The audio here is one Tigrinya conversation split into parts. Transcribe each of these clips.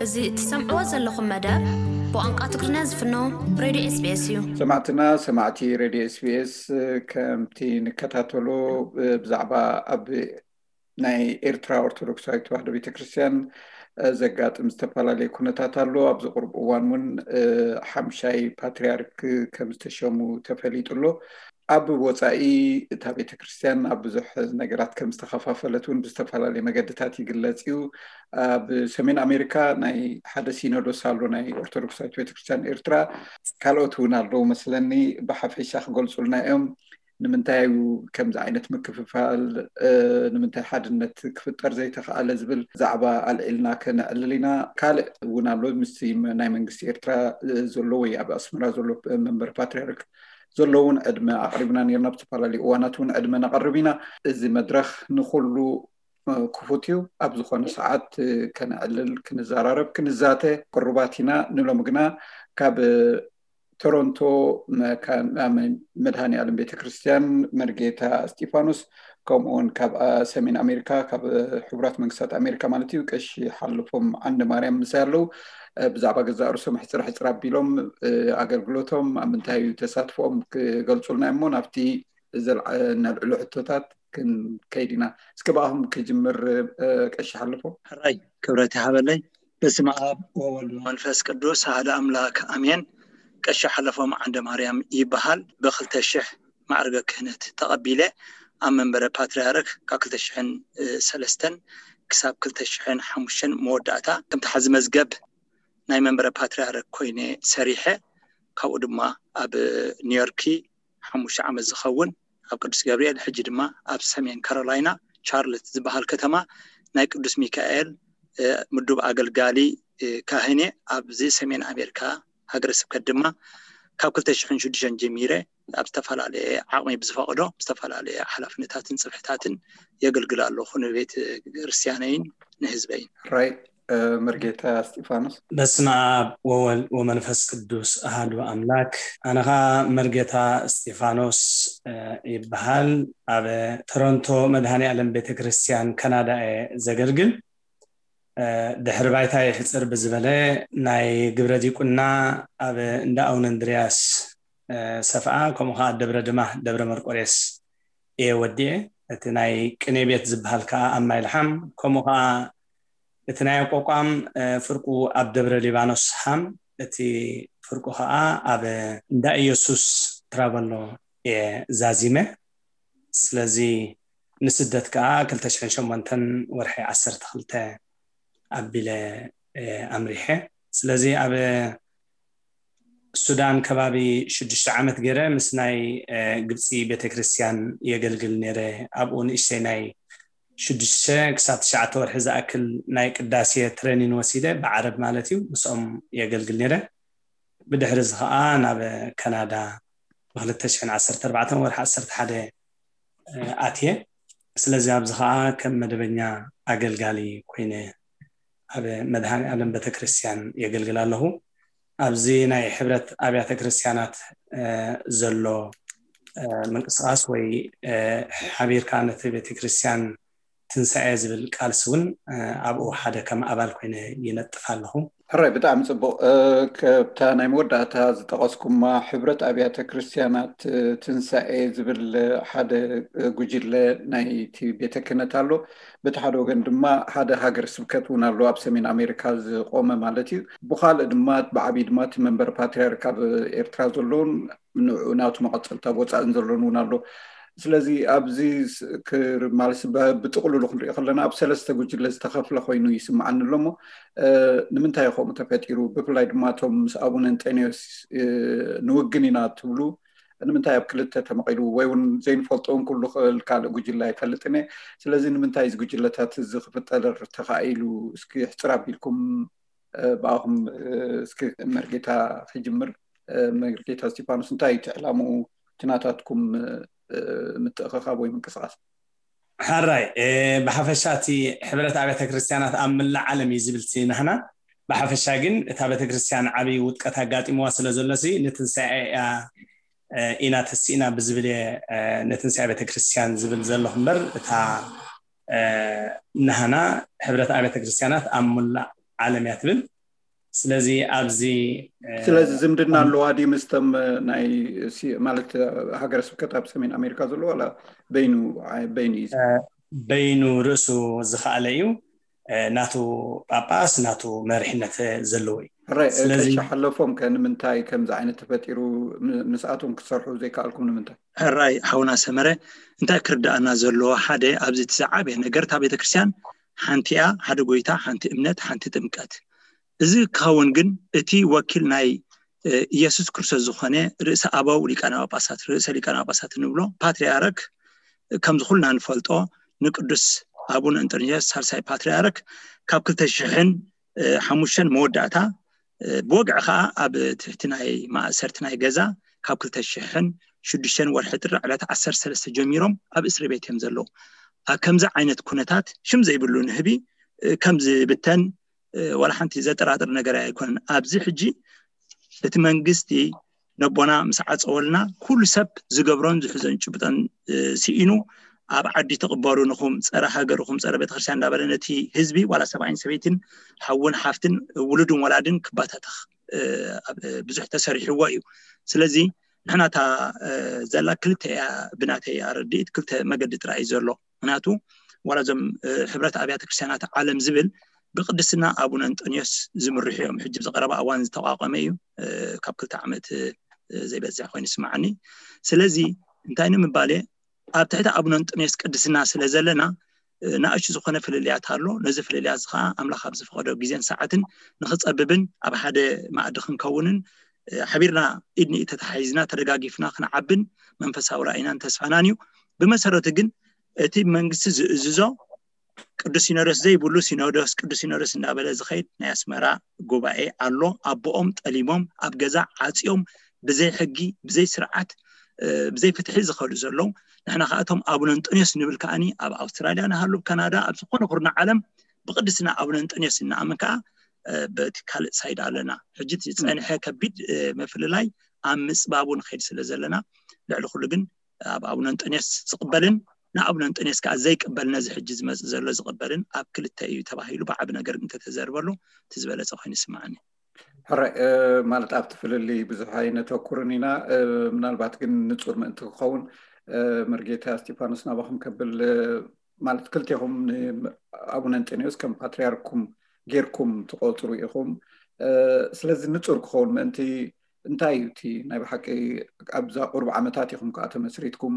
እዚ እትሰምዕዎ ዘለኹም መደብ ብቋንቋ ትግርኛ ዝፍኖ ሬድዮ ኤስቢኤስ እዩ። ሰማዕትና ሰማዕቲ ሬድዮ ኤስቢኤስ፣ ከምቲ ንከታተሎ ብዛዕባ ኣብ ናይ ኤርትራ ኦርቶዶክሳዊት ተዋህዶ ቤተክርስትያን ዘጋጥም ዝተፈላለየ ኩነታት ኣሎ። ኣብዚ ቁርብ እዋን እውን ሓምሻይ ፓትርያርክ ከም ዝተሸሙ ተፈሊጡ ኣሎ። ኣብ ወፃኢ እታ ቤተክርስትያን ኣብ ብዙሕ ነገራት ከም ዝተኸፋፈለት እውን ብዝተፈላለየ መገድታት ይግለጽ እዩ። ኣብ ሰሜን ኣሜሪካ ናይ ሓደ ሲኖዶስ ኣሎ ናይ ኦርቶዶክሳዊት ቤተክርስትያን ኤርትራ። ካልኦት እውን ኣለዉ መስለኒ፣ ብሓፈሻ ክገልጹልና እዮም። ንምንታይ እዩ ከምዚ ዓይነት ምክፍፋል? ንምንታይ ሓድነት ክፍጠር ዘይተኽኣለ ዝብል ዛዕባ ኣልዒልና ከነዕልል ኢና። ካልእ እውን ኣሎ፣ ምስ ናይ መንግስቲ ኤርትራ ዘሎ ወይ ኣብ ኣስመራ ዘሎ መንበር ፓትርያርክ ዘሎ እውን ዕድመ ኣቕሪብና ነርና። ኣብ ዝተፈላለዩ እዋናት እውን ዕድመ ነቐርብ ኢና። እዚ መድረኽ ንኹሉ ክፉት እዩ። ኣብ ዝኾነ ሰዓት ከነዕልል፣ ክንዘራረብ፣ ክንዛተ ቅሩባት ኢና። ንሎም ግና ካብ ቶሮንቶ መድሃኒ ዓለም ቤተክርስትያን መርጌታ እስጢፋኖስ፣ ከምኡውን ካብ ሰሜን ኣሜሪካ፣ ካብ ሕቡራት መንግስታት ኣሜሪካ ማለት እዩ፣ ቀሺ ሓለፎም ዓንደ ማርያም ምሳይ ኣለዉ። ብዛዕባ ገዛእ ርእሶም ሕፅር ሕፅር ኣቢሎም ኣገልግሎቶም ኣብ ምንታይ እዩ ተሳትፎኦም ክገልፁልና እሞ ናብቲ ዘልዓ-፣ ነልዕሎ ሕቶታት ክንከይድ ኢና። እስከ ብኣኹም ክጅምር፣ ቀሺ ሓለፎም። ሕራይ ክብረት ይሃበለይ። በስመ ኣብ ወወልድ ወመንፈስ ቅዱስ ኣሐደ ኣምላክ ኣሜን። ቀሺ ሓለፎም ዓንደ ማርያም ይበሃል። ብክልተ ሽሕ ማዕርገ ክህነት ተቐቢለ ኣብ መንበረ ፓትርያርክ ካብ ክልተ ሽሕን ሰለስተን ክሳብ ክልተ ሽሕን ሓሙሽተን መወዳእታ ከምቲ ሓዚ መዝገብ ናይ መንበረ ፓትርያርክ ኮይነ ሰሪሐ። ካብኡ ድማ ኣብ ኒውዮርኪ ሓሙሽተ ዓመት ዝኸውን ኣብ ቅዱስ ገብርኤል፣ ሕጂ ድማ ኣብ ሰሜን ካሮላይና ቻርልት ዝበሃል ከተማ ናይ ቅዱስ ሚካኤል ምዱብ ኣገልጋሊ ካህን እየ። ኣብዚ ሰሜን ኣሜሪካ ሃገረ ስብከት ድማ ካብ ክልተ ሽሕን ሽዱሽተን ጀሚረ ኣብ ዝተፈላለየ ዓቕሚ ብዝፈቕዶ ዝተፈላለየ ሓላፍነታትን ጽፍሕታትን የገልግል ኣለኹ ንቤተ ክርስቲያነይን ንህዝበይን። ራይ መርጌታ እስጢፋኖስ። በስመ ኣብ ወወልድ ወመንፈስ ቅዱስ ኣሃዱ ኣምላክ። ኣነ ኸኣ መርጌታ እስጢፋኖስ ይበሃል። ኣብ ቶሮንቶ መድሃኔ ዓለም ቤተ ክርስቲያን ካናዳ እየ ዘገልግል። ድሕሪ ባይታ ይሕፅር ብዝበለ ናይ ግብረ ዲቁና ኣብ እንዳ ኣቡነ እንድርያስ ሰፍኣ፣ ከምኡ ከዓ ደብረ ድማ ደብረ መርቆሬስ እየ ወዲኤ። እቲ ናይ ቅኔ ቤት ዝበሃል ከዓ ኣብ ማይልሓም፣ ከምኡ ከዓ እቲ ናይ ኣቋቋም ፍርቁ ኣብ ደብረ ሊባኖስ ሃም፣ እቲ ፍርቁ ከዓ ኣብ እንዳ ኢየሱስ ትራበሎ እየ ዛዚመ። ስለዚ ንስደት ከዓ ክልተ ሽሕን ሸሞንተን ወርሒ ዓሰርተ ክልተ ኣቢለ ኣምሪሐ። ስለዚ ኣብ ሱዳን ከባቢ ሽዱሽተ ዓመት ገይረ ምስ ናይ ግብፂ ቤተክርስትያን የገልግል ነይረ። ኣብኡ ንእሽተይ ናይ ሽዱሽተ ክሳብ ትሽዓተ ወርሒ ዝኣክል ናይ ቅዳሴ ትሬኒን ወሲደ፣ ብዓረብ ማለት እዩ፣ ምስኦም የገልግል ነይረ። ብድሕሪ እዚ ከዓ ናብ ካናዳ ብ ክልተ ሽሕን ዓሰርተ ኣርባዕተን ወርሒ ዓሰርተ ሓደ ኣትየ። ስለዚ ኣብዚ ከዓ ከም መደበኛ ኣገልጋሊ ኮይነ ኣብ መድሃኔ ዓለም ቤተክርስትያን የገልግል ኣለኹ። ኣብዚ ናይ ሕብረት ኣብያተ ክርስትያናት ዘሎ ምንቅስቃስ ወይ ሓቢርካ ነቲ ቤተክርስትያን ትንሳኤ ዝብል ቃልሲ እውን ኣብኡ ሓደ ከም ኣባል ኮይነ ይነጥፍ ኣለኹ። ሕራይ፣ ብጣዕሚ ፅቡቅ። ከብታ ናይ መወዳእታ ዝጠቐስኩማ ሕብረት ኣብያተ ክርስትያናት ትንሳኤ ዝብል ሓደ ጉጅለ ናይቲ ቤተ ክህነት ኣሎ። በቲ ሓደ ወገን ድማ ሓደ ሃገር ስብከት እውን ኣሎ፣ ኣብ ሰሜን ኣሜሪካ ዝቆመ ማለት እዩ። ብካልእ ድማ ብዓብዪ ድማ እቲ መንበር ፓትርያርክ ኣብ ኤርትራ ዘለውን ንዑ ናቱ መቐፀልታ ወፃእን ዘሎን እውን ኣሎ። ስለዚ ኣብዚ ማለት ብጥቕልሉ ክንሪኦ ከለና ኣብ ሰለስተ ጉጅለ ዝተኸፍለ ኮይኑ ይስምዓኒ ኣሎ። እሞ ንምንታይ ከምኡ ተፈጢሩ? ብፍላይ ድማ እቶም ምስ ኣቡነ እንጠንዮስ ንውግን ኢና ትብሉ ንምንታይ ኣብ ክልተ ተመቒሉ? ወይ እውን ዘይንፈልጦ እውን ክህሉ ክእል፣ ካልእ ጉጅለ ኣይፈልጥን እየ። ስለዚ ንምንታይ እዚ ጉጅለታት እዚ ክፍጠር ተኻኢሉ? እስኪ ሕፅር ኣቢልኩም ብኣኹም እስኪ መርጌታ ክጅምር። መርጌታ እስጢፋኖስ፣ እንታይ እዩ እቲ ዕላምኡ? እቲ ናታትኩም ምትእኽኻብ ወይ ምንቅስቃስ? ሕራይ፣ ብሓፈሻ እቲ ሕብረት ኣብያተ ክርስትያናት ኣብ ምላእ ዓለም እዩ ዝብል እቲ ናህና። ብሓፈሻ ግን እታ ቤተክርስትያን ዓብዪ ውድቀት ኣጋጢምዋ ስለ ዘሎ ሲ ንትንሳኤ እያ ኢና ተሲእና ብዝብል እየ ንትንሳኤ ቤተክርስትያን ዝብል ዘለኹ እምበር እታ ናህና ሕብረት ኣብያተ ክርስትያናት ኣብ ሙላእ ዓለም እያ ትብል። ስለዚ ኣብዚ ስለዚ ዝምድና ኣለዋ ድዩ ምስቶም ናይ ማለት ሃገረ ስብከት ኣብ ሰሜን ኣሜሪካ ዘለዎ ዋላ በይኑ በይኑ እዩ? በይኑ ርእሱ ዝኸኣለ እዩ። ናቱ ጳጳስ ናቱ መሪሕነት ዘለዎ እዩ። ሕራይ ስለዚ- ቀይሻ ሓለፎም ከ ንምንታይ ከምዚ ዓይነት ተፈጢሩ ን- ንስኣቶም ክትሰርሑ ዘይከኣልኩም ንምንታይ? ሕራይ ሓውና ሰመረ፣ እንታይ ክርዳእና ዘለዎ ሓደ ኣብዚ እቲ ዝዓበየ ነገር እታ ቤተክርስትያን ሓንቲ እያ፣ ሓደ ጎይታ፣ ሓንቲ እምነት፣ ሓንቲ ጥምቀት። እዚ ክኸውን ግን እቲ ወኪል ናይ ኢየሱስ ክርስቶስ ዝኾነ ርእሰ ኣበው ሊቃነ ጳጳሳት ርእሰ ሊቃነ ጳጳሳት እንብሎ ፓትርያርክ ከምዚ ኩልና ንፈልጦ ንቅዱስ ኣቡነ እንጠንዮስ ሳልሳይ ፓትርያርክ ካብ ክልተ ሽሕን ሓሙሽተን መወዳእታ ብወግዒ ከዓ ኣብ ትሕቲ ናይ ማእሰርቲ ናይ ገዛ ካብ ክልተ ሽሕን ሽዱሽተን ወርሒ ጥሪ ዕለት ዓሰርተ ሰለስተ ጀሚሮም ኣብ እስሪ ቤት እዮም ዘለዉ። ኣብ ከምዚ ዓይነት ኩነታት ሽም ዘይብሉ ንህቢ ከም ዝብተን ዋላ ሓንቲ ዘጠራጥር ነገር ኣይኮነን። ኣብዚ ሕጂ እቲ መንግስቲ ነቦና ምስ ዓፀወልና ኩሉ ሰብ ዝገብሮን ዝሕዞን ጭብጠን ስኢኑ ኣብ ዓዲ ትቕበሩ ንኹም ፀረ ሃገርኹም ፀረ ቤተክርስትያን እንዳበለ ነቲ ህዝቢ ዋላ ሰብኣይን ሰበይትን ሓውን ሓፍትን ውሉድን ወላድን ክባታተኽ ብዙሕ ተሰሪሕዎ እዩ። ስለዚ ንሕና እታ ዘላ ክልተ እያ ብናተይ ኣረድኢት ክልተ መገዲ ጥራይ እዩ ዘሎ። ምክንያቱ ዋላ እዞም ሕብረት ኣብያተ ክርስቲያናት ዓለም ዝብል ብቅድስና ኣቡነ እንጠንዮስ ዝምርሑ እዮም። ሕጂ ዝቀረበ ኣዋን ዝተቋቋመ እዩ። ካብ ክልተ ዓመት ዘይበዝሕ ኮይኑ ይስምዓኒ። ስለዚ እንታይ ንምባል እየ ኣብ ትሕቲ ኣቡነ እንጠንዮስ ቅድስና ስለ ዘለና ንኣሽቱ ዝኾነ ፍልልያት ኣሎ። ነዚ ፍልልያት እዚ ከዓ ኣምላኽ ኣብ ዝፈቐዶ ግዜን ሰዓትን ንክፀብብን ኣብ ሓደ ማእዲ ክንከውንን ሓቢርና ኢድ ንኢድ ተተሓሒዝና ተደጋጊፍና ክንዓብን መንፈሳዊ ራእይናን ተስፋናን እዩ። ብመሰረቱ ግን እቲ መንግስቲ ዝእዝዞ ቅዱስ ሲኖዶስ ዘይብሉ ሲኖዶስ ቅዱስ ሲኖዶስ እንዳበለ ዝኸይድ ናይ ኣስመራ ጉባኤ ኣሎ። ኣቦኦም ጠሊሞም ኣብ ገዛ ዓፅዮም ብዘይ ሕጊ ብዘይ ስርዓት ብዘይ ፍትሒ ዝኸዱ ዘለዉ ንሕና ከኣቶም ኣቡነ እንጠንዮስ ንብል ከኣኒ ኣብ ኣውስትራልያ ንሃሉ ካናዳ ኣብ ዝኾነ ኩርና ዓለም ብቅድስና ኣቡነ እንጠንዮስ እናኣምን ከዓ በቲ ካልእ ሳይድ ኣለና። ሕጂ ዝፀንሐ ከቢድ ምፍልላይ ኣብ ምፅባቡ ንኸይድ ስለ ዘለና ልዕሊ ኩሉ ግን ኣብ ኣቡነ እንጠንዮስ ዝቕበልን ንኣቡነ እንጠንዮስ ከዓ ዘይቅበል ነዚ ሕጂ ዝመፅእ ዘሎ ዝቕበልን ኣብ ክልተ እዩ ተባሂሉ ብዓቢ ነገር እንተተዘርበሉ እቲ ዝበለፀ ኮይኑ ይስምዓኒ። ሕራይ ማለት ኣብቲ ፍልልይ ብዙሕ ኣይነተኩርን ኢና። ምናልባት ግን ንፁር ምእንቲ ክኸውን መርጌታ እስጢፋኖስ ናባኹም ከብል ማለት ክልቴኹም ንኣቡነ እንጠንዮስ ከም ፓትርያርኩም ጌርኩም ትቆፅሩ ኢኹም። ስለዚ ንፁር ክኸውን ምእንቲ እንታይ እዩ እቲ ናይ ብሓቂ ኣብዛ ቁሩብ ዓመታት ኢኹም ከዓ ተመስሪትኩም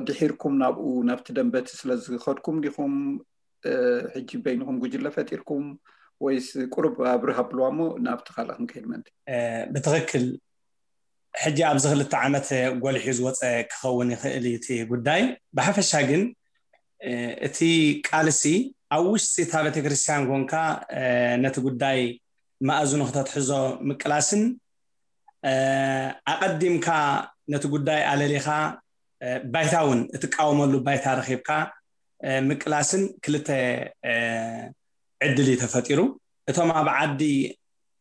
ድሒርኩም ናብኡ ናብቲ ደንበቲ ስለዝኸድኩም ዲኹም ሕጂ በይንኹም ጉጅለ ፈጢርኩም ወይስ ቁሩብ ኣብርህ ኣብልዋ እሞ ናብቲ ካልእ ክንከይድ ምእንቲ? ብትኽክል ሕጂ ኣብዚ ክልተ ዓመት ጎሊሑ ዝወፀ ክኸውን ይኽእል እዩ እቲ ጉዳይ። ብሓፈሻ ግን እቲ ቃልሲ ኣብ ውሽጢ እታ ቤተክርስትያን ኮንካ ነቲ ጉዳይ መኣዝኑ ክተትሕዞ ምቅላስን ኣቐዲምካ ነቲ ጉዳይ ኣለሊኻ ባይታ እውን እትቃወመሉ ባይታ ረኺብካ ምቅላስን ክልተ ዕድል እዩ ተፈጢሩ። እቶም ኣብ ዓዲ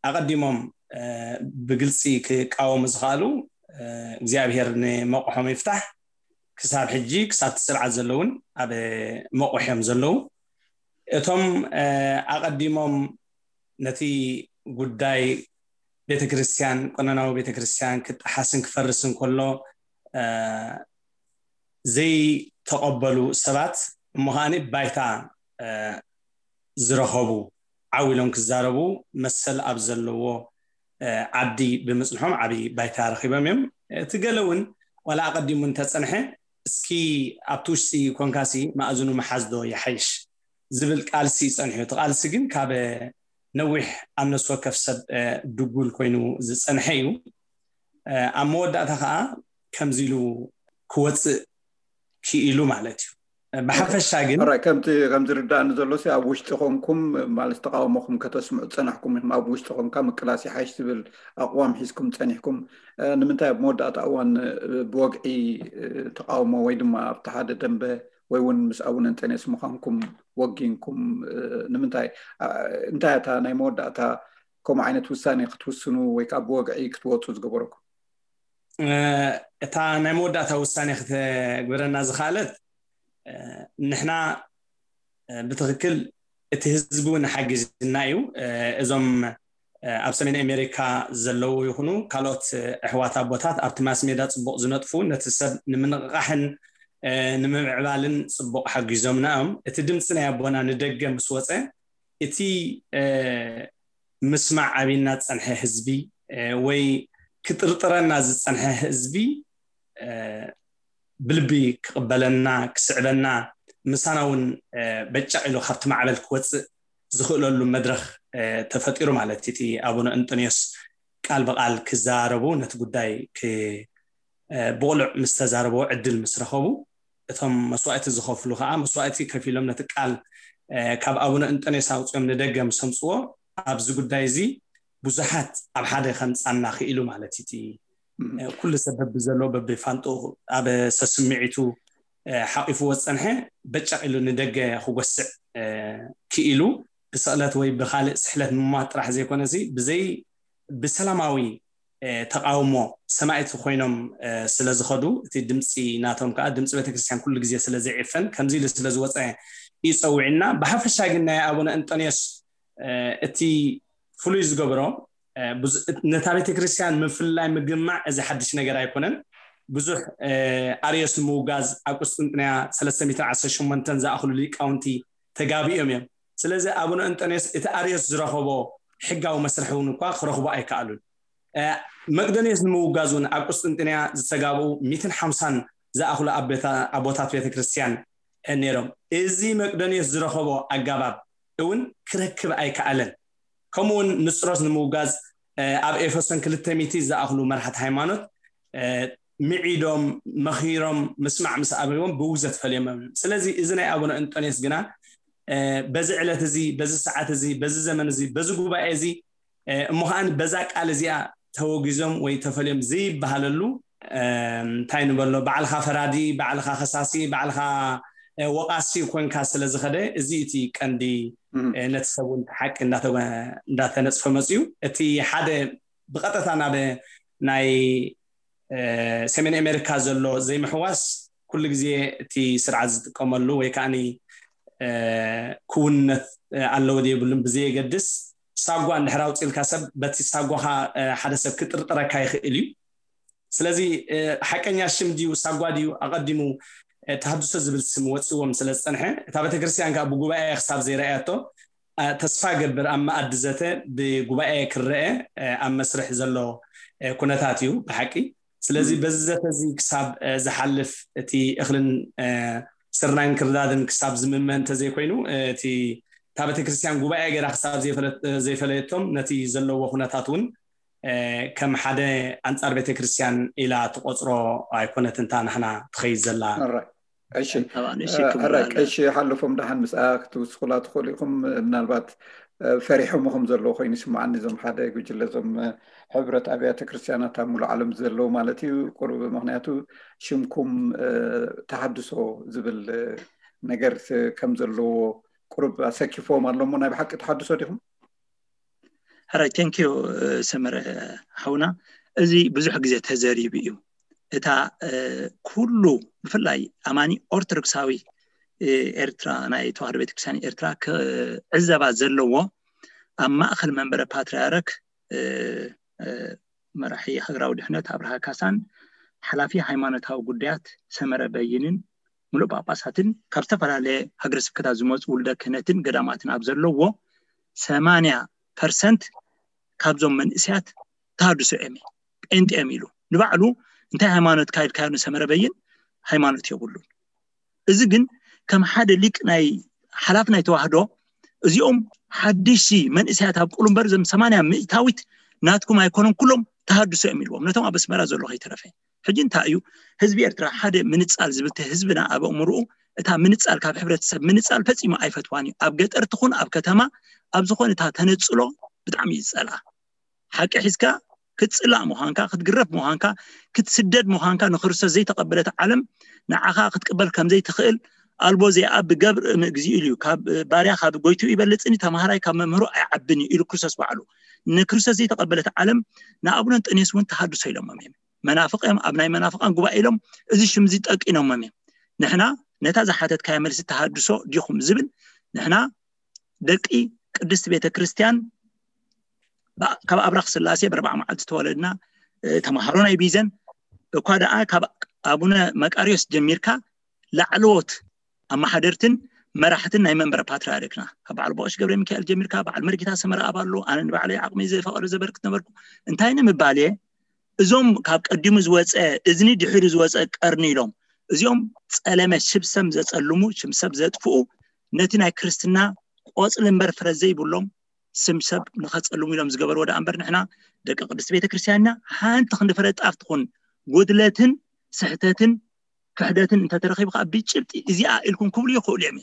ኣቐዲሞም ብግልፂ ክቃወሙ ዝኽኣሉ እግዚኣብሔር ንመቑሖም ይፍታሕ። ክሳብ ሕጂ ክሳብ እቲ ስርዓት ዘለውን ኣብ መቑሕ እዮም ዘለዉ። እቶም ኣቐዲሞም ነቲ ጉዳይ ቤተክርስትያን ቀኖናዊ ቤተክርስትያን ክጠሓስን ክፈርስን ከሎ ዘይተቐበሉ ሰባት እሞ ከዓኒ ባይታ ዝረኸቡ ዓው ኢሎም ክዛረቡ መሰል ኣብ ዘለዎ ዓዲ ብምፅንሖም ዓብዪ ባይታ ረኺቦም እዮም። እቲ ገለ እውን ዋላ ኣቐዲሙ እንተፀንሐ እስኪ ኣብቲ ውሽጢ ኮንካሲ መኣዝኑ መሓዝ ዶ ይሓይሽ ዝብል ቃልሲ እዩ ፀኒሑ። እቲ ቃልሲ ግን ካብ ነዊሕ ኣብ ነፍሲ ወከፍ ሰብ ድጉል ኮይኑ ዝፀንሐ እዩ። ኣብ መወዳእታ ከዓ ከምዚ ኢሉ ክወፅእ ክኢሉ ማለት እዩ። ብሓፈሻ ግን ከምቲ ከም ዝርዳእኒ ዘሎ ኣብ ውሽጢ ኮንኩም ማለት ተቃውሞኹም ከተስምዑ ዝፀናሕኩም ኢኹም። ኣብ ውሽጢ ኮንካ ምቅላስ ይሓይሽ ዝብል ኣቅዋም ሒዝኩም ፀኒሕኩም ንምንታይ ኣብ መወዳእታ እዋን ብወግዒ ተቃውሞ ወይ ድማ ኣብቲ ሓደ ደንበ ወይ እውን ምስ ኣቡነ እንጠንዮስ ምዃንኩም ወጊንኩም ንምንታይ እንታይ እታ ናይ መወዳእታ ከምኡ ዓይነት ውሳኔ ክትውስኑ ወይ ከዓ ብወግዒ ክትወፁ ዝገበረኩም? እታ ናይ መወዳእታ ውሳኔ ክትግበረና ዝኽኣለት ንሕና ብትኽክል እቲ ህዝቢ እውን ሓጊዝና እዩ። እዞም ኣብ ሰሜን ኣሜሪካ ዘለዉ ይኹኑ ካልኦት ኣሕዋት ኣቦታት ኣብቲ ማስ ሜዳ ፅቡቕ ዝነጥፉ ነቲ ሰብ ንምንቕቓሕን ንምምዕባልን ፅቡቕ ሓጊዞምና እዮም። እቲ ድምፂ ናይ ኣቦና ንደገ ምስ ወፀ እቲ ምስማዕ ኣቢና ዝፀንሐ ህዝቢ ወይ ክጥርጥረና ዝፀንሐ ህዝቢ ብልቢ ክቕበለና ክስዕበና ምሳና እውን በጫቕ ኢሉ ካብቲ ማዕበል ክወፅእ ዝኽእለሉ መድረኽ ተፈጢሩ ማለት እቲ ኣቡነ እንጦንዮስ ቃል ብቃል ክዛረቡ ነቲ ጉዳይ ብቕሉዕ ምስ ተዛረበዎ ዕድል ምስ ረኸቡ እቶም መስዋእቲ ዝኸፍሉ ከዓ መስዋእቲ ከፊሎም ነቲ ቃል ካብ ኣቡነ እንጦንዮስ ኣውፅኦም ንደገ ምስ ኣምፅዎ ኣብዚ ጉዳይ እዚ ብዙሓት ኣብ ሓደ ከምፃና ክኢሉ ማለት እቲ ኩሉ ሰብ በብዘሎ በብፋንጡ ኣብ ሰስምዒቱ ሓቂፍዎ ዝፀንሐ በጫቕ ኢሉ ንደገ ክጎስዕ ክኢሉ ብስቕለት ወይ ብካልእ ስሕለት ምሟት ጥራሕ ዘይኮነሲ ብዘይ ብሰላማዊ ተቃውሞ ሰማዕቲ ኮይኖም ስለ ዝኸዱ እቲ ድምፂ ናቶም ከዓ ድምፂ ቤተክርስትያን ኩሉ ግዜ ስለ ዘይዕፈን ከምዚ ኢሉ ስለ ዝወፀ እዩ ፀዊዕና። ብሓፈሻ ግን ናይ ኣቡነ እንጦንዮስ እቲ ፍሉይ ዝገብሮ ነታ ቤተክርስትያን ምፍልላይ ምግማዕ እዚ ሓድሽ ነገር ኣይኮነን። ብዙሕ ኣርዮስ ንምውጋዝ ኣብ ቁስጥንጥንያ ሰለስተ ሚእትን ዓሰርተ ሸሞንተን ዝኣኽሉ ሊቃውንቲ ተጋቢኦም እዮም። ስለዚ ኣቡነ እንጠንዮስ እቲ ኣርዮስ ዝረኸቦ ሕጋዊ መስርሒ እውን እኳ ክረኽቦ ኣይከኣሉን። መቅደንዮስ ንምውጋዝ እውን ኣብ ቁስጥንጥንያ ዝተጋብኡ ሚእትን ሓምሳን ዝኣኽሉ ኣቦታት ቤተክርስትያን ነይሮም። እዚ መቅደንዮስ ዝረኸቦ ኣጋባብ እውን ክረክብ ኣይከኣለን። ከምኡውን ንስጥሮስ ንምውጋዝ ኣብ ኤፌሶን ክልተ ሚእቲ ዝኣኽሉ መራሕቲ ሃይማኖት ምዒዶም መኺሮም ምስማዕ ምስ ኣብዎም ብውግዘት ፈልዮም እዮም። ስለዚ እዚ ናይ ኣቡነ እንጦንዮስ ግና በዚ ዕለት እዚ በዚ ሰዓት እዚ በዚ ዘመን እዚ በዚ ጉባኤ እዚ እሞ ከዓን በዛ ቃል እዚኣ ተወጊዞም ወይ ተፈልዮም ዘይበሃለሉ እንታይ ንበሎ ባዕልካ ፈራዲ ባዕልካ ከሳሲ ባዕልካ ወቃሲ ኮንካ ስለ ዝኸደ እዚ እቲ ቀንዲ ነቲ ሰብ እውን ሓቂ እንዳተነፅፈ መፅዩ። እቲ ሓደ ብቐጥታ ናብ ናይ ሰሜን ኣሜሪካ ዘሎ ዘይምሕዋስ ኩሉ ግዜ እቲ ስርዓት ዝጥቀመሉ ወይ ከዓ ክውንነት ኣለዎ የብሉን ብዘየገድስ ሳጓ እንድሕር ኣውፅልካ ሰብ በቲ ሳጓኻ ሓደ ሰብ ክጥርጥረካ ይኽእል እዩ። ስለዚ ሓቀኛ ሽም ድዩ ሳጓ ድዩ ኣቐዲሙ ተሃድሶ ዝብል ስም ወፅዎም ስለ ዝፀንሐ እታ ቤተክርስትያን ከዓ ብጉባኤ ክሳብ ዘይረኣያቶ ተስፋ ገብር ኣብ መኣዲ ዘተ ብጉባኤ ክረአ ኣብ መስርሕ ዘሎ ኩነታት እዩ ብሓቂ። ስለዚ በዚ ዘተ እዚ ክሳብ ዝሓልፍ እቲ እኽልን ስርናይን ክርዳድን ክሳብ ዝምመ እንተዘይኮይኑ እቲ እታ ቤተክርስትያን ጉባኤ ገይራ ክሳብ ዘይፈለየቶም ነቲ ዘለዎ ኩነታት እውን ከም ሓደ ኣንፃር ቤተክርስትያን ኢላ ትቆፅሮ ኣይኮነትን እታ ንሕና ትኸይድ ዘላ። እሺ ቀሺ ሓለፎም ደሓን ምስኣ ክትውስኹላ ትኽእሉ ኢኹም። ምናልባት ፈሪሖም ከም ዘለዎ ኮይኑ ይስምዓኒ እዞም ሓደ ጉጅለ እዞም ሕብረት ኣብያተ ክርስትያናት ኣብ ሙሉእ ዓለም ዘለዉ ማለት እዩ። ቁሩብ ምክንያቱ ሽምኩም ተሃድሶ ዝብል ነገር ከም ዘለዎ ቁሩብ ኣሰኪፍዎም ኣሎ እሞ ናይ ብሓቂ ተሃድሶ ዲኹም? ሕራይ thank you ሰመረ ሓውና። እዚ ብዙሕ ግዜ ተዘሪቡ እዩ። እታ ኩሉ ብፍላይ ኣማኒ ኦርቶዶክሳዊ ኤርትራ ናይ ተዋህዶ ቤተክርስትያን ኤርትራ ክዕዘባ ዘለዎ ኣብ ማእኸል መንበረ ፓትርያርክ መራሒ ሃገራዊ ድሕነት ኣብርሃ ካሳን ሓላፊ ሃይማኖታዊ ጉዳያት ሰመረ በይንን ሙሉእ ጳጳሳትን ካብ ዝተፈላለየ ሃገረ ስብከታት ዝመፁ ውልደ ክህነትን ገዳማትን ኣብ ዘለዎ ሰማንያ ፐርሰንት ካብዞም መንእሰያት ተሃድሶ እዮም ጴንጤ እዮም ኢሉ ንባዕሉ እንታይ ሃይማኖት ካይድካዮ ንሰመረ በይን ሃይማኖት የብሉን። እዚ ግን ከም ሓደ ሊቅ ናይ ሓላፍ ናይ ተዋህዶ እዚኦም ሓድሽ መንእሰያት ኣብ ቁሉምበር ዘም ሰማንያ ሚእታዊት ናትኩም ኣይኮነን ኩሎም ተሃድሶ እዮም ኢልዎም ነቶም ኣብ ኣስመራ ዘሎ ከይተረፈ። ሕጂ እንታይ እዩ ህዝቢ ኤርትራ ሓደ ምንጻል ዝብል ህዝብና ኣብ ኣእምርኡ እታ ምንጻል ካብ ሕብረተሰብ ምንጻል ፈጺሙ ኣይፈትዋን እዩ። ኣብ ገጠር ትኹን ኣብ ከተማ ኣብ ዝኾነ እታ ተነጽሎ ብጣዕሚ እዩ ዝጸልኣ። ሓቂ ሒዝካ ክትጽላእ ምዃንካ ክትግረፍ ምዃንካ ክትስደድ ምዃንካ ንክርስቶስ ዘይተቐበለት ዓለም ንዓኻ ክትቅበል ከም ዘይትኽእል ኣልቦ ዘይኣብ ገብር እምእግዚኡ ኢሉ እዩ። ካብ ባርያ ካብ ጎይትኡ ይበልጽን እዩ፣ ተማሃራይ ካብ መምህሩ ኣይዓብን እዩ ኢሉ ክርስቶስ ባዕሉ። ንክርስቶስ ዘይተቐበለት ዓለም ንኣቡነ እንጠንዮስ እውን ተሃድሶ ኢሎሞም እዮም። መናፍቕ እዮም፣ ኣብ ናይ መናፍቓን ጉባኤ ኢሎም እዚ ሽም እዚ ጠቂኖሞም እዮም። ንሕና ነታ ዝሓተትካያ መልሲ ተሃድሶ ዲኹም ዝብል ንሕና ደቂ ቅድስቲ ቤተ ክርስቲያን ካብ ኣብራኽ ስላሴ ብርባዕ መዓልቲ ተወለድና ተምሃሮ ናይ ቢዘን እኳ ደኣ ካብ ኣቡነ መቃርዮስ ጀሚርካ ላዕለዎት ኣመሓደርትን መራሕትን ናይ መንበረ ፓትርያርክና ካብ በዓል ቦቆሽ ገብረ ሚካኤል ጀሚርካ በዓል መርጌታ ሰመረ ኣባሎ ኣነ ንባዕለይ ዓቕሚ ዝፈቐዶ ዘበርክት ነበርኩ። እንታይ ንምባል እየ? እዞም ካብ ቀዲሙ ዝወፀ እዝኒ ድሕሪ ዝወፀ ቀርኒ ኢሎም እዚኦም ፀለመ ሽብሰም ዘፀልሙ ሽምሰብ ዘጥፍኡ ነቲ ናይ ክርስትና ቆፅሊ እምበር ፍረ ዘይብሎም ስምሰብ ንኸፀልሙ ኢሎም ዝገበርዎ ደኣ እምበር ንሕና ደቂ ቅድስቲ ቤተክርስትያንና ሓንቲ ክንዲ ፍረ ጣፍ ትኹን ጉድለትን ስሕተትን ክሕደትን እንተተረኺቡ ከዓ ብጭብጢ እዚኣ ኢልኩም ክብሉ ይኽእሉ እዮም።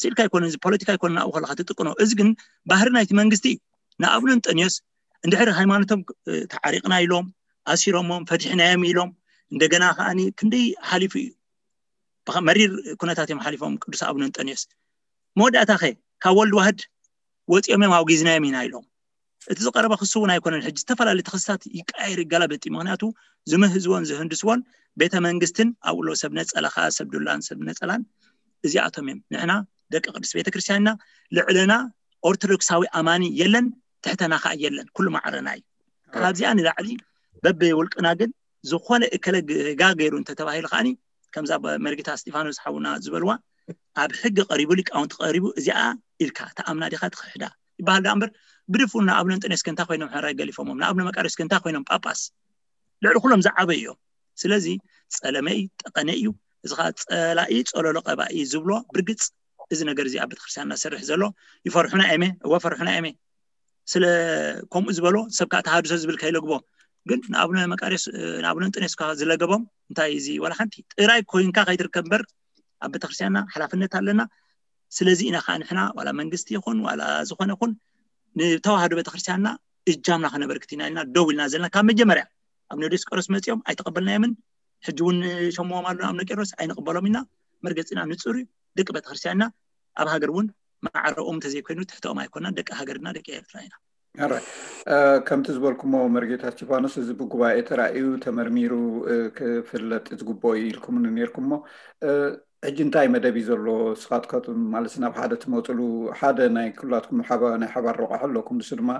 ስኢልካ ኣይኮነን፣ እዚ ፖለቲካ ኣይኮነን። ኣብኡ ከለካ ትጥቀኖ። እዚ ግን ባህሪ ናይቲ መንግስቲ እዩ። ንኣብነ እንጠንዮስ እንድሕር ሃይማኖቶም ተዓሪቕና ኢሎም ኣሲሮሞም ፈቲሕናዮም ኢሎም እንደገና ከዓኒ ክንደይ ሓሊፉ እዩ። መሪር ኩነታት እዮም ሓሊፎም ቅዱስ ኣብነ እንጠንዮስ። መወዳእታ ከ ካብ ወልድ ዋህድ ወፂኦም እዮም ኣውጊዝናዮም ኢና ኢሎም። እቲ ዝቀረበ ክሱ እውን ኣይኮነን። ሕጂ ዝተፈላለዩ ተኸስታት ይቀያየር ይገላበጥ እዩ። ምክንያቱ ዝምህዝዎን ዝህንድስዎን ቤተ መንግስትን ኣብኡ ኣለዉ ሰብ ነፀላ ከዓ ሰብ ዱላን ሰብ ነፀላን እዚኣቶም እዮም። ንሕና ደቂ ቅድስት ቤተክርስትያንና ልዕለና ኦርቶዶክሳዊ ኣማኒ የለን፣ ትሕተና ከዓ የለን፣ ኩሉ ማዕረና እዩ። ካብዚኣ ንላዕሊ በብውልቅና ግን ዝኾነ እከለ ጋ ገይሩ እንተተባሂሉ ከዓኒ ከምዛ መርጌታ እስጢፋኖስ ሓውና ዝበልዋ ኣብ ሕጊ ቀሪቡ ሊቃውንቲ ቀሪቡ እዚኣ ኢልካ ተኣምና ዲኻ ትኽሕዳ ይበሃል ዳ እምበር ብድፉን ንኣብነ እንጠንዮስ ከንታ ኮይኖም ሕራይ ገሊፎሞም ንኣብነ መቃርዮስ ከንታ ኮይኖም ጳጳስ ልዕሊ ኩሎም ዝዓበዩ እዮም። ስለዚ ፀለመ እዩ ጠቀነ እዩ። እዚ ከዓ ፀላኢ ፀለሎ ቀባኢ ዝብሎ ብርግፅ እዚ ነገር እዚ ኣብ ቤተክርስትያንና ዝሰርሕ ዘሎ ይፈርሑና እየመ እወ ፈርሑና እየመ ስለ ከምኡ ዝበሎ ሰብ ከዓ ተሃድሶ ዝብል ከይለግቦ ግን ንኣብነ መቃርዮስ ንኣብነ እንጠንዮስ ከዓ ዝለገቦም እንታይ እዚ ዋላ ሓንቲ ጥራይ ኮይንካ ከይትርከብ እምበር ኣብ ቤተክርስትያንና ሓላፍነት ኣለና። ስለዚ ኢና ከዓ ንሕና ዋላ መንግስቲ ይኹን ዋላ ዝኾነ ይኹን ንተዋህዶ ቤተክርስትያንና እጃምና ከነበርክት ኢና ኢልና ደው ኢልና ዘለና ካብ መጀመርያ ኣብ ዲዮስቆሮስ መፂኦም ኣይተቀበልናዮምን። ሕጂ እውን ሸምዎም ኣለና ኣብ ቄሮስ ኣይንቅበሎም ኢና። መርገፂና ንፁር እዩ። ደቂ ቤተክርስትያንና ኣብ ሃገር እውን ማዕረኦም እንተዘይኮይኑ ትሕተኦም ኣይኮናን። ደቂ ሃገርና ደቂ ኤርትራ ኢና። ከምቲ ዝበልኩሞ መርጌታ እስቲፋኖስ እዚ ብጉባኤ ተራእዩ ተመርሚሩ ክፍለጥ ዝግብኦ እዩ ኢልኩምኒ ነርኩሞ። ሕጂ እንታይ መደብ እዩ ዘሎ? ስኻትካቱም ማለት ናብ ሓደ ትመፅሉ ሓደ ናይ ኩላትኩም ናይ ሓባር ረቋሒ ኣለኩም። ንሱ ድማ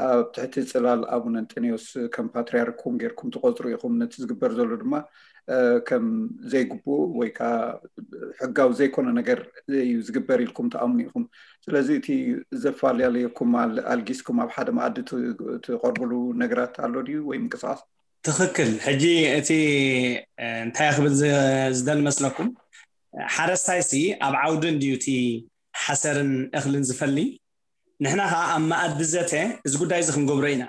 ኣብ ትሕቲ ፅላል ኣቡነ እንጠንዮስ ከም ፓትርያርኩም ጌርኩም ትቆፅሩ ኢኹም። ነቲ ዝግበር ዘሎ ድማ ከም ዘይግቡእ ወይ ከዓ ሕጋዊ ዘይኮነ ነገር እዩ ዝግበር ኢልኩም ትኣምኑ ኢኹም። ስለዚ እቲ ዘፈላለየኩም ኣልጊስኩም ኣብ ሓደ መኣዲ ትቐርብሉ ነገራት ኣሎ ድዩ ወይ ምንቅስቃስ? ትኽክል። ሕጂ እቲ እንታይ ክብል ዝደሊ መስለኩም? ሓረስታይ ሲ ኣብ ዓውዲ እንድዩ እቲ ሓሰርን እኽልን ዝፈሊ። ንሕና ከዓ ኣብ መኣዲ ዘተ እዚ ጉዳይ እዚ ክንገብሮ ኢና።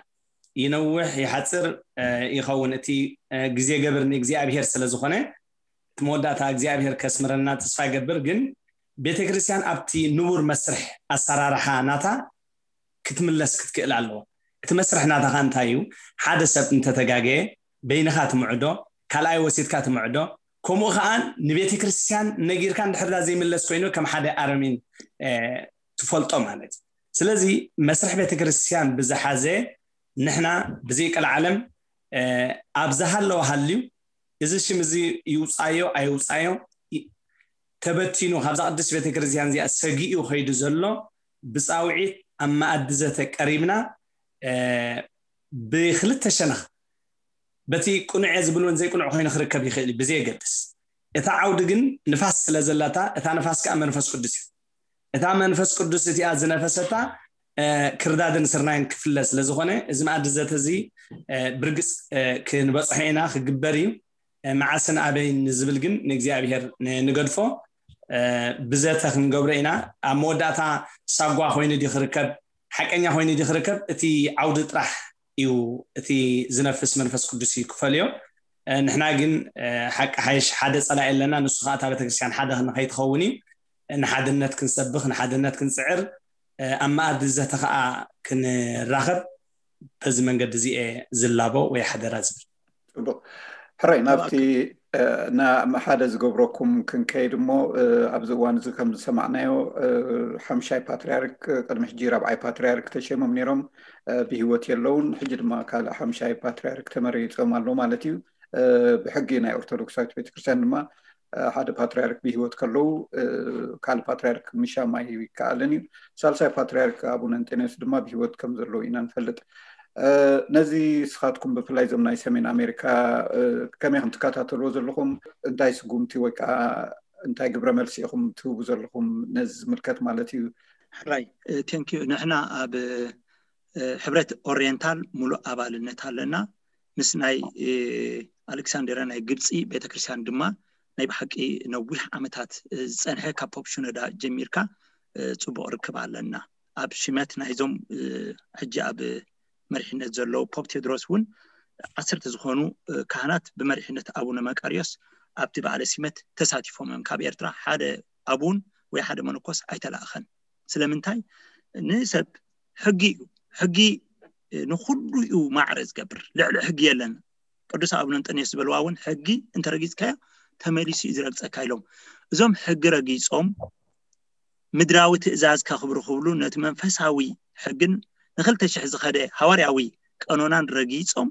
ይነውሕ ይሓፅር ይኸውን እቲ ግዜ ገብር ንእግዚኣብሄር ስለ ዝኾነ እቲ መወዳእታ እግዚኣብሄር ከስምረና ተስፋ ይገብር። ግን ቤተክርስትያን ኣብቲ ንቡር መስርሕ ኣሰራርሓ ናታ ክትምለስ ክትክእል ኣለዎ። እቲ መስርሕ ናታ ከዓ እንታይ እዩ? ሓደ ሰብ እንተተጋገየ በይንኻ ትምዕዶ፣ ካልኣይ ወሲድካ ትምዕዶ። ከምኡ ከዓ ንቤተክርስትያን ነጊርካ እንድሕርዳ ዘይምለስ ኮይኑ ከም ሓደ ኣረሚን ትፈልጦ ማለት እዩ። ስለዚ መስርሕ ቤተክርስትያን ብዝሓዘ ንሕና ብዘይቀልዓለም ኣብ ዝሃለወ ሃልዩ እዚ ሽም እዚ ይውፃዮ ኣይውፃዮ ተበቲኑ ካብዛ ቅድስት ቤተክርስትያን እዚኣ ሰጊኡ ከይዱ ዘሎ ብፃውዒት ኣብ መኣዲ ዘተ ቀሪብና ብክልተ ሸነኽ በቲ ቅኑዕ እየ ዝብል እውን ዘይቅኑዕ ኮይኑ ክርከብ ይኽእል እዩ ብዘየገድስ እታ ዓውዲ ግን ንፋስ ስለ ዘለታ እታ ንፋስ ከዓ መንፈስ ቅዱስ እዩ እታ መንፈስ ቅዱስ እቲኣ ዝነፈሰታ ክርዳድን ስርናይን ክፍለ ስለዝኾነ እዚ መኣዲ ዘተ እዚ ብርግፅ ክንበፅሖ ኢና ክግበር እዩ። መዓስን ኣበይን ንዝብል ግን ንእግዚኣብሄር ንገድፎ። ብዘተ ክንገብሮ ኢና። ኣብ መወዳእታ ሳጓ ኮይኑ ድዩ ክርከብ ሓቀኛ ኮይኑ ድዩ ክርከብ እቲ ዓውዲ ጥራሕ እዩ እቲ ዝነፍስ መንፈስ ቅዱስ እዩ ክፈልዮ። ንሕና ግን ሓቂ ሓይሽ ሓደ ፀላኢ ኣለና ንሱ ከዓ እታ ቤተክርስትያን ሓደ ንኸይትኸውን እዩ። ንሓድነት ክንሰብኽ ንሓድነት ክንፅዕር ኣብ መኣዲ ዘተ ከዓ ክንራኸብ በዚ መንገዲ እዚ እየ ዝላቦ ወይ ሓደራ ዝብል። ፅቡቅ ሕራይ ናብቲ ሓደ ዝገብረኩም ክንከይድ እሞ ኣብዚ እዋን እዚ ከም ዝሰማዕናዮ ሓምሻይ ፓትርያርክ ቅድሚ ሕጂ ራብዓይ ፓትርያርክ ተሸሞም ነይሮም ብህይወት የለውን። ሕጂ ድማ ካልእ ሓምሻይ ፓትርያርክ ተመሪፆም ኣሎ ማለት እዩ። ብሕጊ ናይ ኦርቶዶክሳዊት ቤተክርስትያን ድማ ሓደ ፓትርያርክ ብህይወት ከለዉ ካልእ ፓትርያርክ ምሻም ኣይከኣልን እዩ። ሳልሳይ ፓትርያርክ ኣቡነ እንጠንዮስ ድማ ብህይወት ከም ዘለዉ ኢና ንፈልጥ። ነዚ ስኻትኩም ብፍላይ እዞም ናይ ሰሜን ኣሜሪካ ከመይ ከም ትከታተልዎ ዘለኹም፣ እንታይ ስጉምቲ ወይ ከዓ እንታይ ግብረ መልሲ ኢኹም ትህቡ ዘለኹም ነዚ ዝምልከት ማለት እዩ? ሕራይ፣ ቴንኪዩ። ንሕና ኣብ ሕብረት ኦሪየንታል ሙሉእ ኣባልነት ኣለና። ምስ ናይ ኣሌክሳንድሪያ ናይ ግብፂ ቤተክርስትያን ድማ ናይ ብሓቂ ነዊሕ ዓመታት ዝፀንሐ ካብ ፖፕ ሽኖዳ ጀሚርካ ፅቡቕ ርክብ ኣለና። ኣብ ሽመት ናይዞም ሕጂ ኣብ መሪሕነት ዘለዉ ፖፕ ቴድሮስ እውን ዓሰርተ ዝኾኑ ካህናት ብመሪሕነት ኣቡነ መቃርዮስ ኣብቲ በዓለ ሲመት ተሳቲፎም እዮም። ካብ ኤርትራ ሓደ ኣቡን ወይ ሓደ መነኮስ ኣይተላእኸን። ስለምንታይ? ንሰብ ሕጊ እዩ። ሕጊ ንኹሉ እዩ ማዕረ ዝገብር። ልዕሊ ሕጊ የለን። ቅዱስ ኣቡነ እንጠንዮስ ዝበልዋ እውን ሕጊ እንተረጊፅካዮ ተመሊሱ እዩ ዝረግፀካ ኢሎም። እዞም ሕጊ ረጊፆም ምድራዊ ትእዛዝ ከኽብሩ ክብሉ ነቲ መንፈሳዊ ሕግን ንክልተ ሽሕ ዝኸደ ሃዋርያዊ ቀኖናን ረጊፆም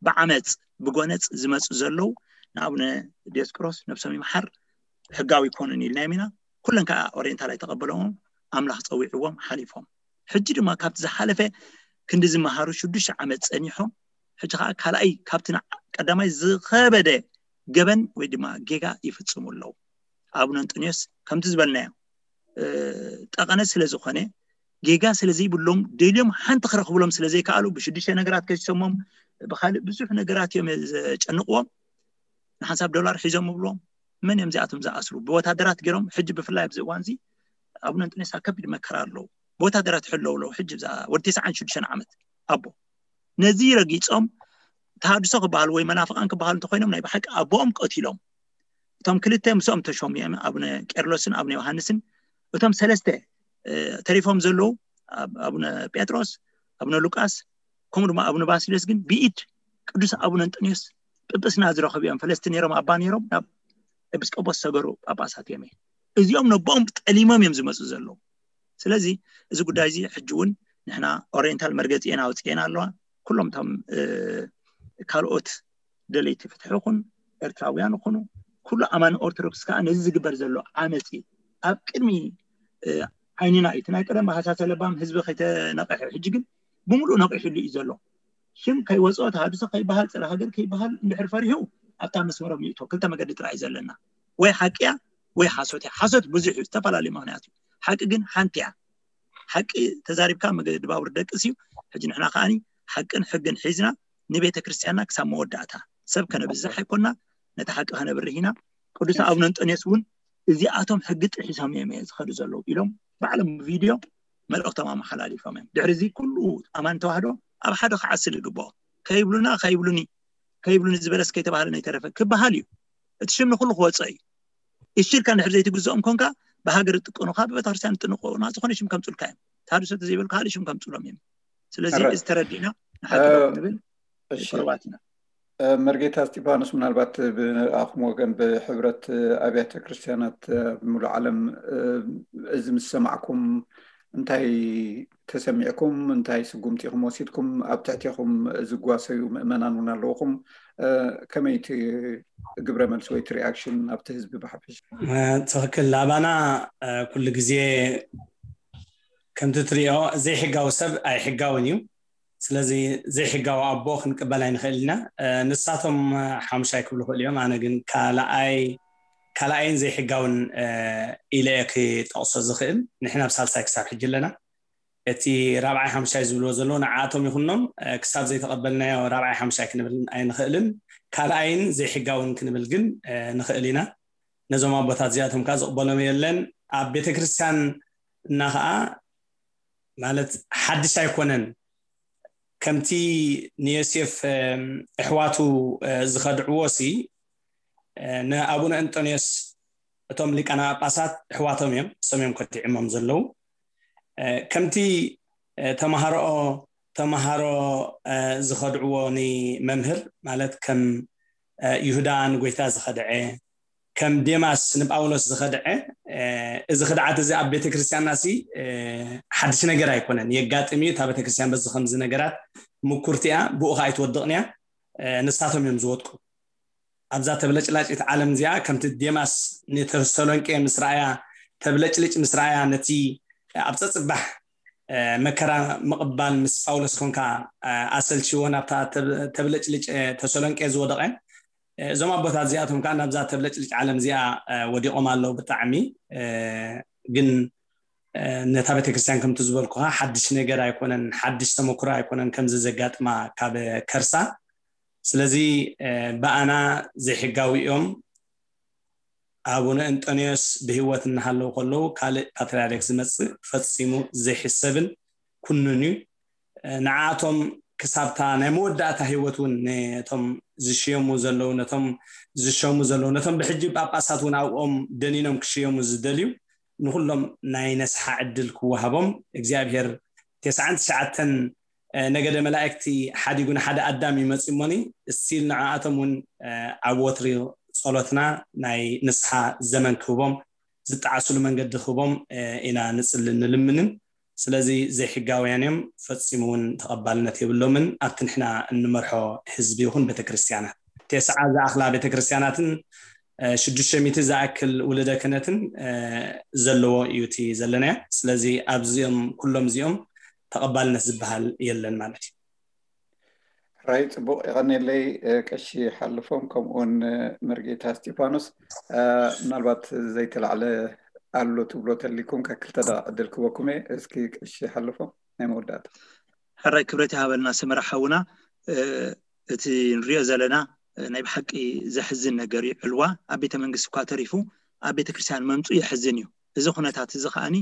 ብዓመፅ ብጎነፅ ዝመፁ ዘለዉ ንኣቡነ ዲዮስቆሮስ ነብሶም ይምሓር ሕጋዊ ይኮኑን ኢልናዮም ኢና። ኩለን ከዓ ኦሪየንታል ኣይተቐበለዎም፣ ኣምላኽ ፀዊዕዎም ሓሊፎም። ሕጂ ድማ ካብቲ ዝሓለፈ ክንዲ ዝመሃሩ ሽዱሽተ ዓመት ፀኒሖም ሕጂ ከዓ ካልኣይ ካብቲ ቀዳማይ ዝኸበደ ገበን ወይ ድማ ጌጋ ይፍፅሙ ኣለዉ። ኣቡነ እንጥንዮስ ከምቲ ዝበልናዮ ጠቐነ ስለ ዝኾነ ጌጋ ስለ ዘይብሎም ደልዮም ሓንቲ ክረኽብሎም ስለ ዘይከኣሉ ብሽዱሽተ ነገራት ከሲሶሞም ብካልእ ብዙሕ ነገራት እዮም ዘጨንቕዎም። ንሓንሳብ ዶላር ሒዞም ይብልዎም። መን እዮም እዚኣቶም ዝኣስሩ? ብወታደራት ገይሮም። ሕጂ ብፍላይ ኣብዚ እዋን እዚ ኣቡነ እንጥንዮስ ኣብ ከቢድ መከራ ኣለዉ። ብወታደራት ይሕለዉ ኣለዉ። ሕጂ ብዛ ወዲ ተስዓን ሽዱሽተን ዓመት ኣቦ ነዚ ረጊፆም ተሃድሶ ክበሃሉ ወይ መናፍቃን ክበሃሉ እንተኮይኖም ናይ ብሓቂ ኣቦኦም ቀቲሎም። እቶም ክልተ ምስኦም ተሾሙ እዮም፣ ኣቡነ ቄርሎስን ኣቡነ ዮሃንስን። እቶም ሰለስተ ተሪፎም ዘለዉ ኣቡነ ጴጥሮስ፣ ኣቡነ ሉቃስ ከምኡ ድማ ኣቡነ ባስልዮስ ግን ብኢድ ቅዱስ ኣቡነ እንጥንዮስ ጵጵስና ዝረኸቡ እዮም። ፈለስቲ ነይሮም፣ ኣባ ነይሮም፣ ናብ ኤጲስቆጶስ ሰገሩ ጳጳሳት እዮም። እዚኦም ነቦኦም ጠሊሞም እዮም ዝመፁ ዘለዉ። ስለዚ እዚ ጉዳይ እዚ ሕጂ እውን ንሕና ኦሪየንታል መርገፂኤን ኣውፅኤን ኣለዋ። ኩሎም እቶም ካልኦት ደለይቲ ፍትሒ ይኹን ኤርትራውያን ይኹኑ ኩሉ ኣማኒ ኦርቶዶክስ ከዓ ነዚ ዝግበር ዘሎ ዓመፂ ኣብ ቅድሚ ዓይንና እዩ። እቲ ናይ ቀደም ሃሳሰ ለባም ህዝቢ ከይተነቕሐ ሕጂ ግን ብምሉእ ነቒሕሉ እዩ ዘሎ። ሽም ከይወፅኦ ተሃድሶ ከይበሃል ፅረ ሃገር ከይበሃል እንድሕር ፈሪሁ ኣብታ መስመሮም ይእቶ። ክልተ መገዲ ጥራይ እዩ ዘለና፣ ወይ ሓቂ እያ ወይ ሓሶት እያ። ሓሶት ብዙሕ እዩ፣ ዝተፈላለዩ ምክንያት እዩ። ሓቂ ግን ሓንቲ እያ። ሓቂ ተዛሪብካ መገዲ ባቡር ደቅስ እዩ። ሕጂ ንሕና ከዓኒ ሓቅን ሕግን ሒዝና ንቤተ ክርስቲያንና ክሳብ መወዳእታ ሰብ ከነብዝሕ ኣይኮና፣ ነቲ ሓቂ ከነብርህ ኢና። ቅዱስ ኣቡነ እንጠንዮስ እውን እዚኣቶም ሕጊ ጥሒሶም እዮም ዝኸዱ ዘለዉ ኢሎም ባዕሎም ቪድዮ መልእኽቶም ኣመሓላሊፎም እዮም። ድሕሪ እዚ ኩሉ ኣማን ተዋህዶ ኣብ ሓደ ክዓስል ይግብኦ። ከይብሉና ከይብሉኒ ከይብሉኒ ዝበለስ ከይተባህለ ነይተረፈ ክበሃል እዩ። እቲ ሽም ንኩሉ ክወፀ እዩ። እሺ ኢልካ እንድሕር ዘይትግዝኦም ኮንካ ብሃገር ይጥቀኑኻ፣ ብቤተክርስትያን ይጥንቆና፣ ዝኾነ ሽም ከምፅኡልካ እዮም። ተሃድሶ ተዘይበሉ ካልእ ሽም ከምፅኡሎም እዮም። ስለዚ ሕራይ። እዚ ተረዲእና ንሓቂ እ፣ ደው ክንብል እሺ። ቅሩባት ኢና። እ፣ መርጌታ እስጢፋኖስ፣ ምናልባት ብኣኹም ወገን ብሕብረት ኣብያተ ክርስቲያናት ኣብ ሙሉእ ዓለም እ፣ እዚ ምስ ሰማዕኩም እንታይ ተሰሚዕኩም? እንታይ ስጉምቲ ኢኹም ወሲድኩም? ኣብ ትሕቴኹም ዝጓሰዩ ምእመናን እውን ኣለውኹም። እ፣ ከመይ እቲ ግብረ መልሲ ወይ እቲ ሪኣክሽን ኣብቲ ህዝቢ ብሓፈሻ? እ፣ ትኽክል። ኣባና እ፣ ኩሉ ግዜ ከምቲ ትሪኦ ዘይሕጋዊ ሰብ ኣይሕጋውን እዩ። ስለዚ ዘይሕጋዊ ኣቦ ክንቅበል ኣይንኽእል ኢና። እ፣ ንሳቶም እ፣ ሓሙሻይ ክብሉ ይኽእሉ እዮም። ኣነ ግን ካልኣይ ካልኣይን ዘይሕጋውን እ፣ ኢለ እየ ክጠቕሶ ዝኽእል። ንሕና ኣብ ሳልሳይ ክሳብ ሕጂ ኣለና። እቲ ራብዓይ ሓሙሻይ ዝብልዎ ዘለዉ ንዓኣቶም ይኹኖም እ፣ ክሳብ ዘይተቐበልናዮ ራብዓይ ሓሙሻይ ክንብል ኣይንኽእልን። ካልኣይን ዘይሕጋውን ክንብል ግን እ፣ ንኽእል ኢና። ነዞም ኣቦታት እዚኣቶም ከዓ ዝቕበሎም የለን። ኣብ ቤተ ክርስቲያን እና ከዓ ማለት ሓድሽ ኣይኮነን። ከምቲ ንዮሴፍ እ፣ ኣሕዋቱ እ፣ ዝኸድዕዎ ሲ እ፣ ንኣቡነ እንጦንዮስ እቶም ሊቃነ ጳጳሳት ኣሕዋቶም እዮም፣ እሶም እዮም ከዲዕሞም ዘለዉ። እ፣ ከምቲ እ፣ ተምሃሮኦ ተምሃሮ እ፣ ዝኸድዕዎ ንመምህር ማለት ከም እ፣ ይሁዳ ንጎይታ ዝኸድዐ ከም ዴማስ ንጳውሎስ ዝኸድዐ እ፣ እዚ ክድዓት እዚ ኣብ ቤተ ክርስቲያንና ሲ እ፣ ሓድሽ ነገር ኣይኮነን። የጋጥም እዩ። እታ ቤተ ክርስቲያን በዚ ከምዚ ነገራት ምኩርቲ እያ፣ ብኡ ከዓ ኣይትወድቕን እያ። እ፣ ንሳቶም እዮም ዝወድቁ። ኣብዛ ተብለጭላጭት ዓለም እዚኣ ከምቲ ዴማስ ንተሰሎንቄ ምስ ረኣያ፣ ተብለጭልጭ ምስ ረኣያ፣ ነቲ ኣብ ጸጽባሕ መከራ ምቕባል ምስ ጳውሎስ ኮንካ ኣሰልችዎ ናብታ ተብለጭልጭ ተሰሎንቄ ዝወደቐ፣ እዞም ኣቦታት እዚኣቶም ከዓ ናብዛ ተብለጭልጭ ዓለም እዚኣ ወዲቖም ኣለዉ። ብጣዕሚ ግን ነታ ቤተክርስትያን ከምቲ ዝበልኩኻ ሓድሽ ነገር ኣይኮነን፣ ሓድሽ ተመክሮ ኣይኮነን ከምዚ ዘጋጥማ ካብ ከርሳ። ስለዚ ብኣና ዘይሕጋዊ እዮም። ኣቡነ እንጠንዮስ ብህይወት እናሃለዉ ከለዉ ካልእ ፓትርያርክ ዝመጽእ ፈጺሙ ዘይሕሰብን ኩኑን እዩ። ንዓቶም ክሳብታ ናይ መወዳእታ ህይወት እውን ነቶም ዝሽየሙ ዘለዉ ነቶም ዝሸሙ ዘለዉ ነቶም ብሕጂ ጳጳሳት እውን ኣብኦም ደኒኖም ክሽየሙ ዝደልዩ ንኩሎም ናይ ነስሓ ዕድል ክወሃቦም እግዚኣብሔር ተስዓን ትሽዓተን ነገደ መላእክቲ ሓዲጉ ንሓደ ኣዳም ይመጽእ እሞኒ እስቲል ንዓኣቶም እውን ኣብ ወትሪ ጸሎትና ናይ ንስሓ ዘመን ክህቦም ዝጠዓስሉ መንገዲ ክህቦም ኢና ንጽልን ንልምንን። ስለዚ ዘይሕጋውያን እዮም፣ ፈጺሙ እውን ተቐባልነት የብሎምን ኣብቲ ንሕና እንመርሖ ህዝቢ ይኹን ቤተክርስትያናት። ተስዓ ዝኣኽላ ቤተክርስትያናትን ሽዱሽተ ሚእቲ ዝኣክል ውልደ ክህነትን ዘለዎ እዩ እቲ ዘለናዮ። ስለዚ ኣብዚኦም ኩሎም እዚኦም ተቐባልነት ዝበሃል የለን ማለት እዩ። ሕራይ ጽቡቕ የቐኔለይ ቀሺ ሓልፎም ከምኡውን መርጌታ እስጢፋኖስ ምናልባት ዘይተላዕለ ኣሎ ትብሎ ተሊኩም ካብ ክልተ ደቂቕ ዕድል ክበኩም እየ። እስኪ ቀሺ ሓልፎም ናይ መወዳእታ። ሕራይ ክብረት ይሃበልና ሰመራ ሓውና። እቲ ንሪኦ ዘለና ናይ ብሓቂ ዘሕዝን ነገር እዩ። ዕልዋ ኣብ ቤተ መንግስቲ እኳ ተሪፉ ኣብ ቤተ ክርስቲያን መምፁ የሕዝን እዩ። እዚ ኩነታት እዚ ከዓኒ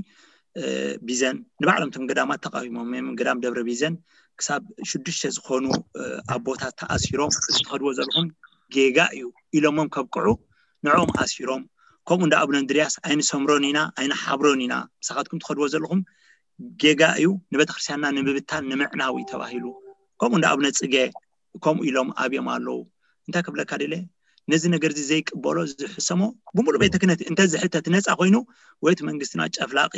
ቢዘን ንባዕሎም እቶም ገዳማት ተቃዊሞም እዮም። ገዳም ደብረ ቢዘን ክሳብ ሽዱሽተ ዝኾኑ ኣቦታት ተኣሲሮም እዚ ትኸድዎ ዘለኹም ጌጋ እዩ ኢሎሞም ከብቅዑ ንዕኦም ኣሲሮም ከምኡ እንደ ኣቡነ እንድርያስ ኣይንሰምሮን ኢና ኣይንሓብሮን ኢና ምሳኻትኩም ትኸድዎ ዘለኹም ጌጋ እዩ ንቤተክርስትያንና ንምብታን ንምዕናው እዩ ተባሂሉ ከምኡ እንደ ኣቡነ ጽጌ ከምኡ ኢሎም ኣብዮም ኣለዉ እንታይ ክብለካ ደለ ነዚ ነገር እዚ ዘይቅበሎ ዝሕሰሞ ብምሉእ ቤተ ክህነት እንተ ዝሕተት ነፃ ኮይኑ ወይ እቲ መንግስትና ጨፍላቂ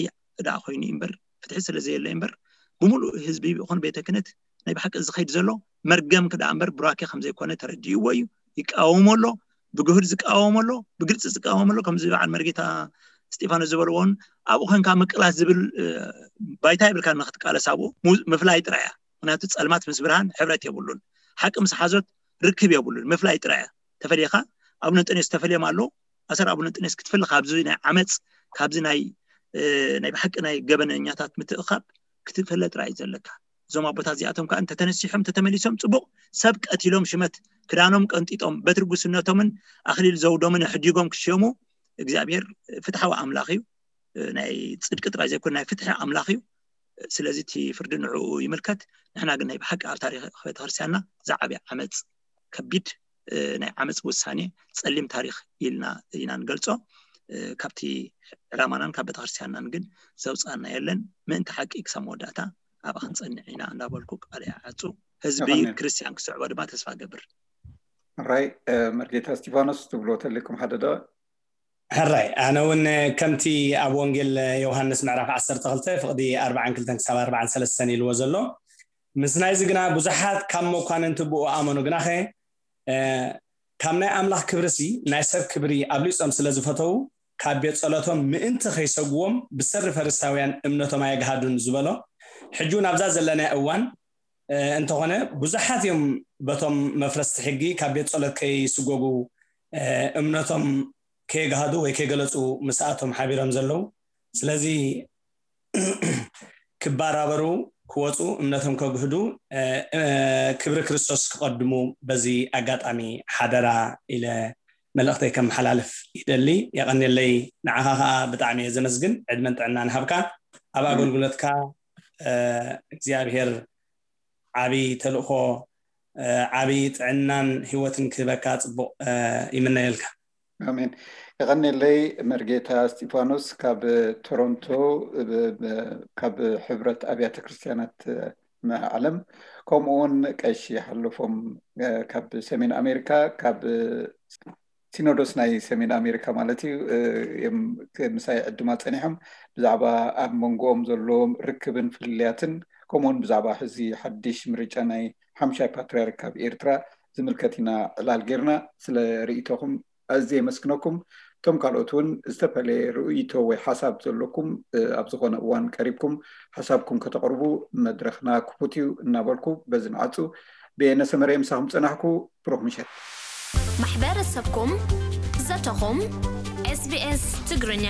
ደኣ ኮይኑ እምበር ፍትሒ ስለ ዘየለ እምበር ብምሉእ ህዝቢ ይኹን ቤተ ክህነት ናይ ብሓቂ ዝኸይድ ዘሎ መርገም ክደኣ እምበር ቡራኬ ከም ዘይኮነ ተረዲእዎ እዩ ይቃወሞ ኣሎ ብግሁድ ዝቃወሞ ኣሎ ብግልፂ ዝቃወሞ ኣሎ ከምዚ በዓል መርጌታ እስጢፋኖስ ዝበልዎን ኣብኡ ኮንካ ምቅላስ ዝብል ባይታ ይብልካ ንክትቃለስ ኣብኡ ምፍላይ ጥራይ እያ ምክንያቱ ፀልማት ምስ ብርሃን ሕብረት የብሉን ሓቂ ምስ ሓዞት ርክብ የብሉን ምፍላይ ጥራይ እያ ተፈሊኻ ኣቡነ እንጠንዮስ ተፈልዮም ኣለዉ ኣሰር ኣቡነ እንጠንዮስ ክትፍሊ ካብዚ ናይ ዓመፅ ካብዚ ናይ ናይ ብሓቂ ናይ ገበነኛታት ምትእኻብ ክትፍለ ጥራይ እዩ ዘለካ እዞም ኣቦታት እዚኣቶም ከዓ እንተተነሲሖም ተተመሊሶም ፅቡቅ ሰብ ቀቲሎም ሽመት ክዳኖም ቀንጢጦም በትሪ ጉስነቶምን ኣክሊል ዘውዶምን ኣሕዲጎም ክሽየሙ እግዚኣብሔር ፍትሓዊ ኣምላኽ እዩ ናይ ፅድቂ ጥራይ ዘይኮነ ናይ ፍትሒ ኣምላኽ እዩ ስለዚ እቲ ፍርዲ ንዕኡ ይምልከት ንሕና ግን ናይ ብሓቂ ኣብ ታሪክ ቤተክርስትያንና ዝዓብየ ዓመፅ ከቢድ ናይ ዓመፅ ውሳኔ ፀሊም ታሪክ ኢልና ኢና ንገልፆ ካብቲ ዕላማናን ካብ ቤተክርስትያንናን ግን ዘውፃና የለን ምእንቲ ሓቂ ክሳብ መወዳእታ ኣብኣ ክንፀንዕ ኢና እንዳበልኩ ቃል ይዓፁ ህዝቢ ክርስትያን ክስዕቦ ድማ ተስፋ ገብር ራይ መርጌታ እስቲፋኖስ ትብሎ ተሊኩም ሓደ ደ ሕራይ ኣነ እውን ከምቲ ኣብ ወንጌል ዮሃንስ ምዕራፍ ዓሰርተ ክልተ ፍቕዲ ኣርባዓን ክልተን ክሳብ ኣርባዓን ሰለስተን ኢልዎ ዘሎ ምስ ናይዚ ግና ብዙሓት ካብ መኳንንቲ ብኡ ኣመኑ ግናኸ ካብ ናይ ኣምላኽ ክብርሲ ናይ ሰብ ክብሪ ኣብሊጾም ስለ ዝፈተዉ ካብ ቤት ጸሎቶም ምእንቲ ከይሰግዎም ብሰሪ ፈሪሳውያን እምነቶም ኣየግሃዱን ዝበሎ ሕጂ እውን ኣብዛ ዘለና እዋን እንተኾነ ብዙሓት እዮም በቶም መፍረስቲ ሕጊ ካብ ቤት ጸሎት ከይስጎጉ እምነቶም ከየግሃዱ ወይ ከየገለፁ ምስኣቶም ሓቢሮም ዘለዉ ስለዚ ክባራበሩ ክወፁ እምነቶም ከግህዱ ክብሪ ክርስቶስ ክቐድሙ በዚ ኣጋጣሚ ሓደራ ኢለ መልእኽተይ ከመሓላልፍ ይደሊ የቐንየለይ ንዓኻ ከዓ ብጣዕሚ እየ ዘመስግን ዕድመን ጥዕናን ሃብካ ኣብ ኣገልግሎትካ እግዚኣብሔር ዓብይ ተልእኾ ዓብይ ጥዕናን ህይወትን ክህበካ ፅቡቅ ይምነየልካ ኣሜን የቐንየለይ መርጌታ እስጢፋኖስ ካብ ቶሮንቶ ካብ ሕብረት ኣብያተ ክርስትያናት ዓለም ከምኡውን ቀሺ ሓለፎም ካብ ሰሜን ኣሜሪካ ካብ ሲኖዶስ ናይ ሰሜን ኣሜሪካ ማለት እዩ ምሳይ ዕድማ ፀኒሖም ብዛዕባ ኣብ መንጎኦም ዘለዎም ርክብን ፍልልያትን ከምኡውን ብዛዕባ ሕዚ ሓድሽ ምርጫ ናይ ሓምሻይ ፓትርያርክ ካብ ኤርትራ ዝምልከት ኢና ዕላል ጌርና። ስለ ርእይቶኹም ኣዝየ የመስግነኩም። እቶም ካልኦት እውን ዝተፈለየ ርእይቶ ወይ ሓሳብ ዘለኩም ኣብ ዝኾነ እዋን ቀሪብኩም ሓሳብኩም ከተቕርቡ መድረኽና ክፉት እዩ እናበልኩ በዚ ንዓጹ። ብየነ ሰመረ ምሳኹም ጸናሕኩ። ብሩኽ ምሸት። ማሕበረሰብኩም ዘተኹም SBS ትግርኛ።